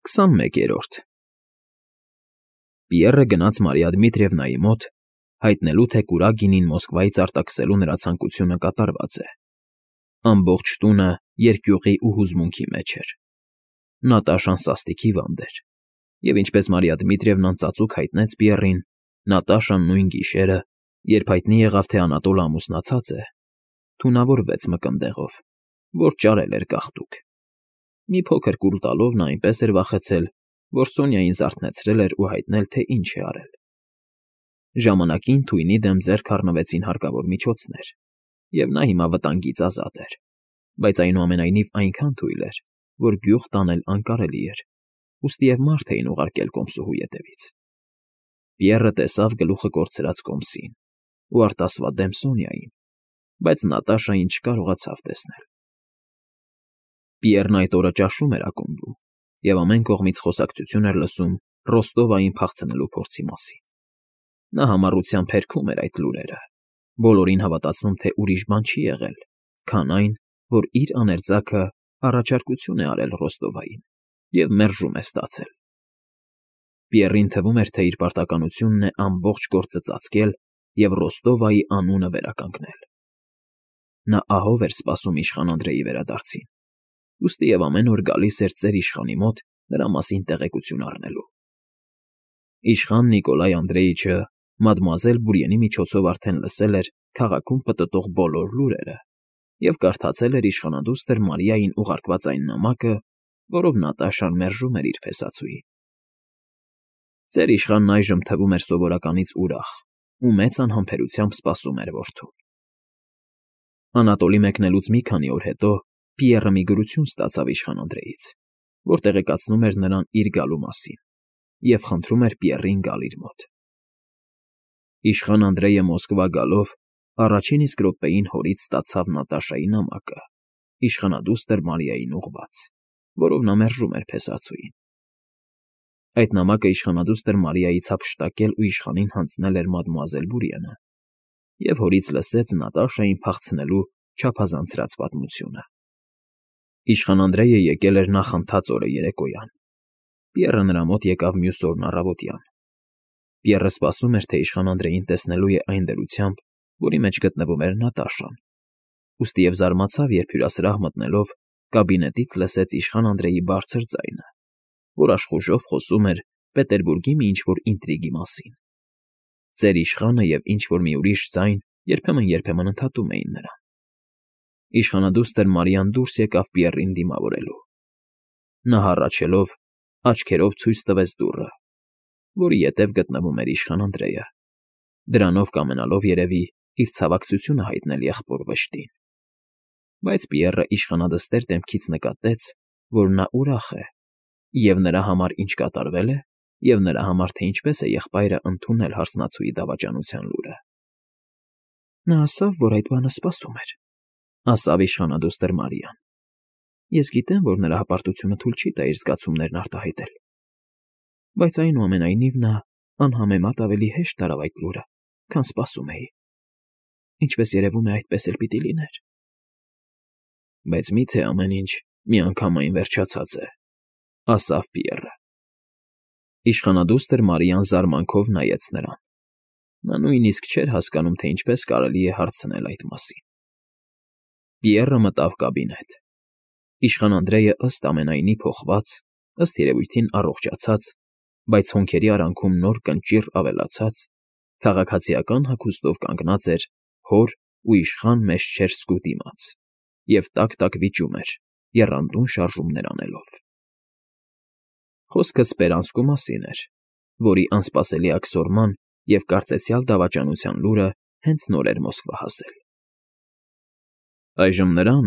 21-րդ Պիեռը գնաց Մարիա Դմիտրիևնայի մոտ, հայտնելու, թե Կուրագինին Մոսկվայից արտաքսելու նրա ցանկությունը կատարված է։ Ամբողջ տունը երկյուղի ու հուզմունքի մեջ էր։ Նատաշան սաստիքի վանդ էր, և ինչպես Մարիա Դմիտրիևնան ծածուկ հայտնեց Պիեռին, Նատաշան նույն գիշերը, երբ հայտնի եղավ, թե Անատոլը ամուսնացած է, թունավորվեց մկնդեղով, որ ճարել էր գաղտուկ։ Մի փոքր կուլ տալով նա այնպես էր վախեցել, որ Սոնյային զարթնեցրել էր ու հայտնել, թե ինչ է արել։ Ժամանակին թույնի դեմ ձեռք առնվեցին հարկավոր միջոցներ, և նա հիմա վտանգից ազատ էր, բայց այնուամենայնիվ այնքան թույլ էր, որ գյուղ տանել անկարելի էր, ուստի և մարդ էին ուղարկել կոմսուհու ետևից։ Պիեռը տեսավ գլուխը կորցրած կոմսին ու արտասվադեմ Սոնյային, բայց Նատաշային չկարողացավ տեսնել։ Պիեռն այդ օրը ճաշում էր ակումբում և ամեն կողմից խոսակցություն էր լսում Ռոստովային փախցնելու փորձի մասին։ Նա համառությամբ հերքում էր այդ լուրերը, բոլորին հավատացնում, թե ուրիշ բան չի եղել, քան այն, որ իր աներձակը առաջարկություն է արել Ռոստովային և մերժում է ստացել։ Պիեռին թվում էր, թե իր պարտականությունն է ամբողջ գործը ծածկել և Ռոստովայի անունը վերականգնել։ Նա ահով էր սպասում իշխան Անդրեի վերադարձին, ուստի և ամեն օր գալիս էր ծեր իշխանի մոտ նրա մասին տեղեկություն առնելու։ Իշխան Նիկոլայ Անդրեիչը մադմուազել Բուրիենի միջոցով արդեն լսել էր քաղաքում պտտող բոլոր լուրերը և կարդացել էր իշխանադուստր Մարիային ուղարկված այն նամակը, որով Նատաշան մերժում էր իր փեսացուին։ Ծեր իշխանն այժմ թվում էր սովորականից ուրախ ու մեծ անհամբերությամբ սպասում էր որդուն։ Անատոլի մեկնելուց մի քանի օր հետո Պիեռը մի գրություն ստացավ իշխան Անդրեից, որ տեղեկացնում էր նրան իր գալու մասին և խնդրում էր Պիեռին գալ իր մոտ։ Իշխան Անդրեյը Մոսկվա գալով առաջին իսկ րոպեին հորից ստացավ Նատաշայի նամակը, իշխանադուստր Մարիային ուղղված, որով նա մերժում էր փեսացուին։ Այդ նամակը իշխանադուստր Մարիայից հափշտակել ու իշխանին հանձնել էր մադմուազել Բուրիենը, և հորից լսեց Նատաշային փախցնելու չափազանցրած պատմությունը։ Իշխան Անդրեյը եկել էր նախընթաց օրը երեկոյան։ Պիեռը նրա մոտ եկավ մյուս օրն առավոտյան։ Պիեռը սպասում էր, թե իշխան Անդրեին տեսնելու է այն դրությամբ, որի մեջ գտնվում էր Նատաշան, ուստի և զարմացավ, երբ հյուրասրահ մտնելով կաբինետից լսեց իշխան Անդրեի բարձր ձայնը, որ աշխուժով խոսում էր Պետերբուրգի մի ինչ֊որ ինտրիգի մասին։ Ծեր իշխանը և ինչ֊որ մի ուրիշ ձայն երբեմն ընդհատում էին նրան։ Իշխանադուստր Մարիան դուրս եկավ Պիեռին դիմավորելու։ Նա հառաչելով աչքերով ցույց տվեց դուռը, որի ետև գտնվում էր իշխան Անդրեյը, դրանով կամենալով երևի իր ցավակցությունը հայտնել եղբոր վշտին։ Բայց Պիեռը իշխանադստեր դեմքից նկատեց, որ նա ուրախ է, և նրա համար ինչ կատարվել է, և նրա համար, թե ինչպես է եղբայրը ընդունել հարսնացուի դավաճանության լուրը։ Նա ասավ, որ այդ բանը սպասում էր, ասավ իշխանադուստր Մարիան։ Ես գիտեմ, որ նրա հպարտությունը թույլ չի տա իր զգացումներն արտահայտել, բայց այնուամենայնիվ նա անհամեմատ ավելի հեշտ տարավ այդ լուրը, քան սպասում էի։ Ինչպես երևում է, այդպես էլ պիտի լիներ։ Բայց մի՞թե ամեն ինչ միանգամայն վերջացած է, ասավ Պիեռը։ Իշխանադուստր Մարիան զարմանքով նայեց նրան։ Նա նույնիսկ չէր հասկանում, թե ինչպես կարելի է հարցնել այդ մասին։ Պիեռը մտավ կաբինետ։ Իշխան Անդրեյը ըստ ամենայնի փոխված, ըստ երևույթին առողջացած, բայց հոնքերի արանքում նոր կնճիռ ավելացած, քաղաքացիական հագուստով կանգնած էր հոր ու իշխան Մեշչեր սկու դիմաց և տակ֊տակ վիճում էր, եռանդուն շարժումներ անելով։ Խոսքը Սպերանսկու մասին էր, որի անսպասելի աքսորման և կարծեցյալ դավաճանության լուրը հենց նոր էր Մոսկվա հասել։ Այժմ նրան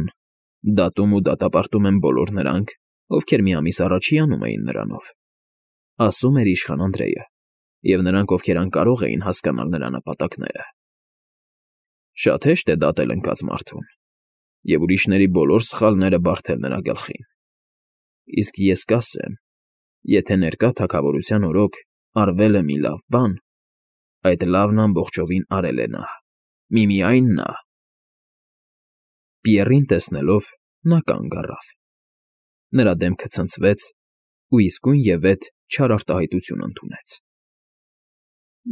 դատում ու դատապարտում են բոլոր նրանք, ովքեր մի ամիս առաջ հիանում էին նրանով, ասում էր իշխան Անդրեյը, և նրանք, ովքեր անկարող էին հասկանալ նրա նպատակները։ Շատ հեշտ է դատել ընկած մարդուն և ուրիշների բոլոր սխալները բարդել նրա գլխին։ Իսկ ես կասեմ, եթե ներկա թագավորության օրոք արվել է մի լավ բան, այդ լավն ամբողջովին արել է նա, միմիայն նա։ Պիեռին տեսնելով՝ նա կանգ առավ։ Նրա դեմքը ցնցվեց, ու իսկույնևեթ չար արտահայտություն ընդունեց։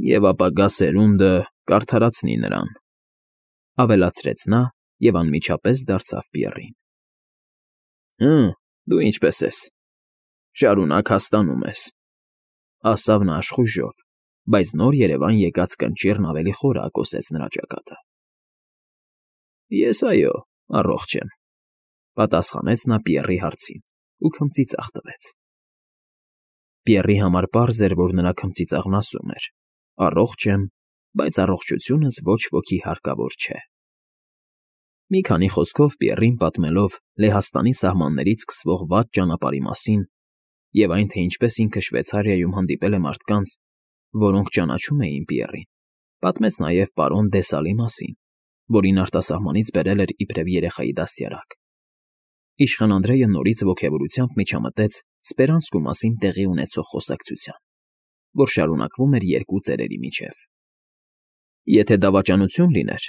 Եվ ապագա սերունդը կարդարացնի նրան, ավելացրեց նա և անմիջապես դարձավ Պիեռին։ Դու ինչպե՞ս ես, շարունակ հաստանում ես, ասավ նա աշխույժով, բայց նոր երևան եկած կնճիռն ավելի խորը ակոսեց նրա ճակատը։ Ես, այո, առողջ եմ, պատասխանեց նա Պիեռի հարցին ու քմծիծաղ տվեց։ Պիեռի համար պարզ էր, որ նրա քմծիծաղն ասում էր. «Առողջ եմ, բայց առողջությունս ոչ ոքի հարկավոր չէ»։ Մի քանի խոսքով Պիեռին պատմելով Լեհաստանի սահմաններից սկսվող վատ ճանապարհի մասին և այն, թե ինչպես ինքը Շվեյցարիայում հանդիպել է մարդկանց, որոնք ճանաչում էին Պիեռին, պատմեց նաև պարոն Դեսալի մասին, որին արտասահմանից բերել էր իբրև երեխայի դաստիարակ։ Իշխան Անդրեյը նորից ոգևորությամբ միջամտեց Սպերանսկու մասին տեղի ունեցող խոսակցության, որ շարունակվում էր երկու ծերերի միջև։ Եթե դավաճանություն լիներ,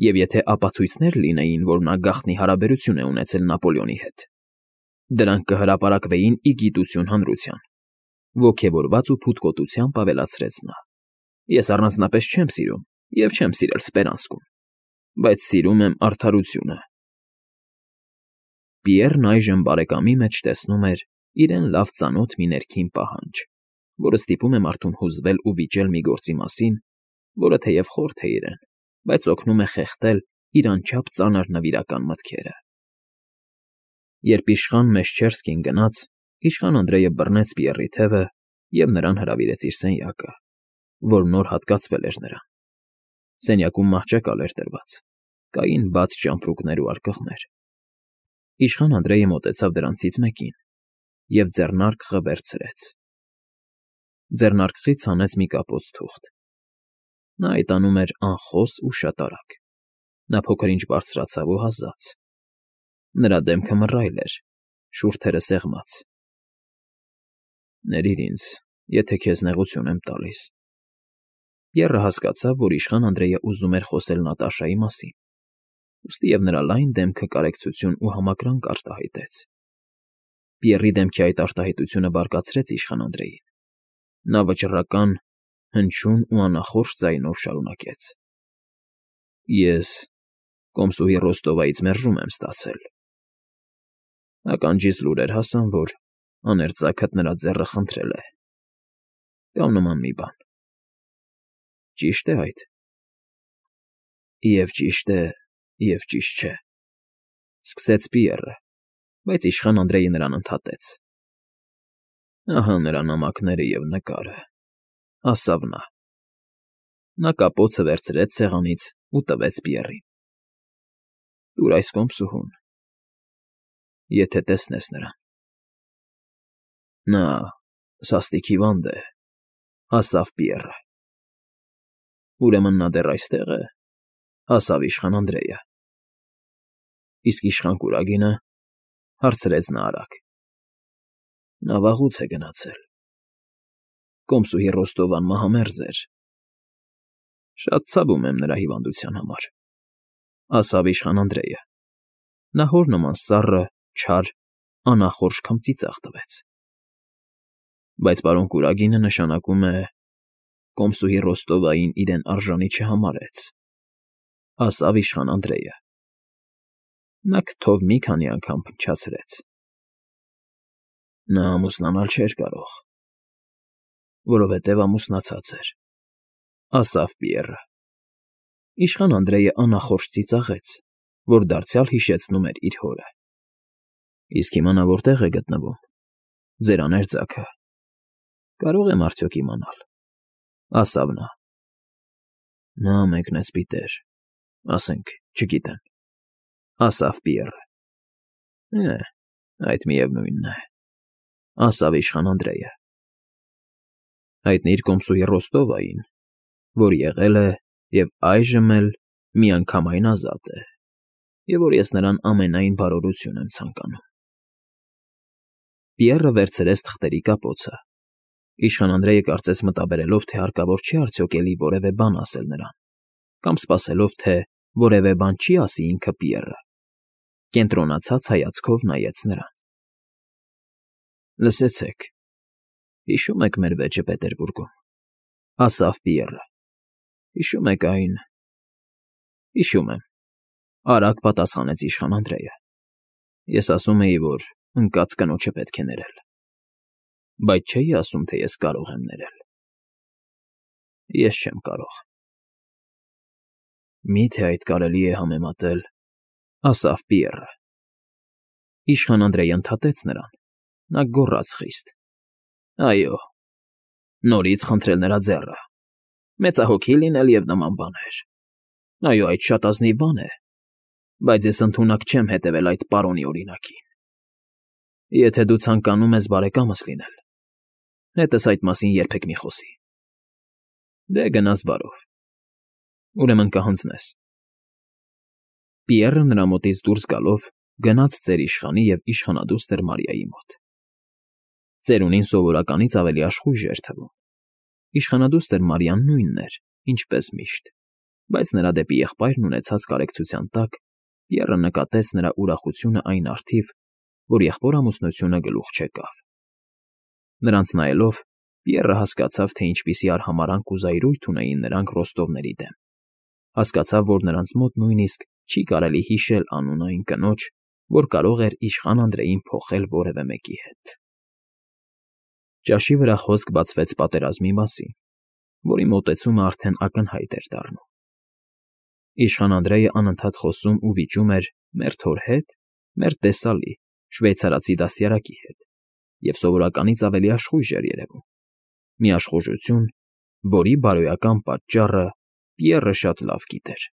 և եթե ապացույցներ լինեին, որ նա գաղտնի հարաբերություն է ունեցել Նապոլեոնի հետ, դրանք կհրապարակվեին ի գիտություն հանրության, ոգևորված ու փութկոտությամբ ավելացրեց նա։ Ես առանձնապես չեմ սիրում և չեմ սիրել Սպերանսկուն, բայց սիրում եմ արդարությունը։ Պիեռն այժմ բարեկամի մեջ տեսնում էր իրեն լավ ծանոթ մի ներքին պահանջ, որը ստիպում է մարդուն հուզվել ու վիճել մի գործի մասին, որը թեև խորթ է իրեն, բայց օգնում է խեղդել իր անչափ ծանր նվիրական մտքերը։ Երբ իշխան Մեշչերսկին գնաց, իշխան Անդրեյը բռնեց Պիեռի թևը և նրան հրավիրեց իր սենյակը, որ նոր հատկացվել էր նրան։ Սենյակում մահճակալ էր դրված, կային բաց ճամպրուկներ ու արկղներ։ Իշխան Անդրեյը մոտեցավ դրանցից մեկին և ձեռնարկղը վերցրեց։ Ձեռնարկղից հանեց մի կապոց թուղթ։ Նա այդ անում էր անխոս ու շատ արագ։ Նա փոքր-ինչ բարձրացավ ու հազաց։ Նրա դեմքը մռայլ էր, շուրթերը սեղմած։ Ներիր ինձ, եթե քեզ նեղություն եմ տալիս։ Պիեռը հասկացավ, որ իշխան Անդրեյը ուզում էր խոսել Նատաշայի մասին, ուստի և նրա լայն դեմքը կարեկցություն ու համակրանք արտահայտեց։ Պիեռի դեմքի այդ արտահայտությունը բարկացրեց իշխան Անդրեյին։ Նա վճռական, հնչյուն ու անախորժ ձայնով շարունակեց. Ես կոմսուհի Ռոստովայից մերժում եմ ստացել։ Ականջիս լուրեր հասան, որ աներձակդ նրա ձեռը խնդրել է, կամ նման մի բան։ Ճի՞շտ է այդ։ Եվ ճիշտ է, և ճիշտ չէ, սկսեց Պիեռը, բայց իշխան Անդրեյը նրան ընդհատեց. Ահա նրա նամակները և նկարը, ասավ նա։ Նա կապոցը վերցրեց սեղանից ու տվեց Պիեռին։ Տուր այս կոմսուհուն, եթե տեսնես նրան։ Նա սաստիկ հիվանդ է, ասավ Պիեռը։ Ուրեմն նա դեռ այստեղ է, ասավ իշխան Անդրեյը։ Իսկ իշխան կուրագինը, հարցրեց նա արագ։ Նա վաղուց է գնացել։ Կոմսուհի Ռոստովան մահամերձ էր։ Շատ ցավում եմ նրա հիվանդության համար, ասավ իշխան Անդրեյը։ Նա հոր նման սառը, չար, անախորժ քմծիծաղ տվեց։ Բայց պարոն կուրագինը նշանակում է կոմսուհի Ռոստովային իրեն արժանի չհամարեց, ասավ իշխան Անդրեյը։ Նա քթով մի քանի անգամ փնչացրեց։ Նա ամուսնանալ չէր կարող, որովհետև ամուսնացած էր, ասավ Պիեռը։ Իշխան Անդրեյը անախորժ ծիծաղեց, որ դարձյալ հիշեցնում էր իր հորը։ Իսկ հիմա նա որտեղ է գտնվում։ Ձեր աներձակը։ Կարո՞ղ եմ արդյոք իմանալ, ասավ նա։ Նա մեկն է սպիտեր, ասենք, չգիտեմ, ասավ Պիեռը։ Այդ միևնույնն է, ասավ իշխան Անդրեյը։ Հայտնիր կոմսուհի Ռոստովային, որ եղել է և այժմ էլ միանգամայն ազատ է, և որ ես նրան ամենայն բարօրություն եմ ցանկանում։ Պիեռը վերցրեց թղթերի կապոցը։ Իշխան Անդրեյը կարծես մտաբերելով, թե հարկավոր չէ արդյոք էլի որևէ բան ասել նրան, կամ սպասելով, թե որևէ բան չի ասի ինքը Պիեռը, կենտրոնացած հայացքով նայեց նրան։ Լսեցեք, հիշո՞ւմ եք մեր վեճը Պետերբուրգում, ասավ Պիեռը։ Հիշում եք այն… Հիշում եմ, արագ պատասխանեց իշխան Անդրեյը։ Ես ասում էի, որ ընկած կնոջը պետք է ներել, բայց չէի ասում, թե ես կարող եմ ներել։ Ես չեմ կարող։ Մի՞թե այդ կարելի է համեմատել, ասավ Պիեռը։ Իշխան Անդրեյը ընդհատեց նրան, նա գոռաց խիստ. Այո, նորից խնդրել նրա ձեռը, մեծահոգի լինել և նման բաներ։ Այո, այդ շատ ազնիվ բան է, բայց ես ընդունակ չեմ հետևել այդ պարոնի օրինակին։ Եթե դու ցանկանում ես բարեկամս լինել, հետս այդ մասին երբեք մի խոսի։ Դե գնաս բարով, ուրեմն կհանձնես։ Պիեռը նրա մոտից դուրս գալով գնաց ծեր իշխանի և իշխանադուստր Մարիայի մոտ։ Ծերունին սովորականից ավելի աշխույժ էր թվում։ Իշխանադուստր Մարիան նույնն էր, ինչպես միշտ, բայց նրա դեպի եղբայրն ունեցած կարեկցության տակ Պիեռը նկատեց նրա ուրախությունը այն առթիվ, որ եղբոր֊ամուսնությունը գլուխ չեկավ։ Նրանց նայելով, Պիեռը հասկացավ, թե ինչպիսի արհամարհանք ու զայրույթ ունեին նրանք Ռոստովների դեմ։ Հասկացավ, որ նրանց մոտ նույնիսկ չի կարելի հիշել անուն այն կնոջ, որ կարող էր իշխան Անդրեյին փոխել որևէ մեկի հետ։ Ճաշի վրա խոսք բացվեց պատերազմի մասին, որի մոտեցումը արդեն ակնհայտ էր դառնում։ Իշխան Անդրեյը անընդհատ խոսում ու վիճում էր մերթ հոր հետ, մերթ տեսալի, շվեյցարացի դաստիարակի հետ, և սովորականից ավելի աշխույժ էր երևում։ Մի աշխուժություն, որի բարոյական պատճառը Պիեռը շատ լավ գիտեր։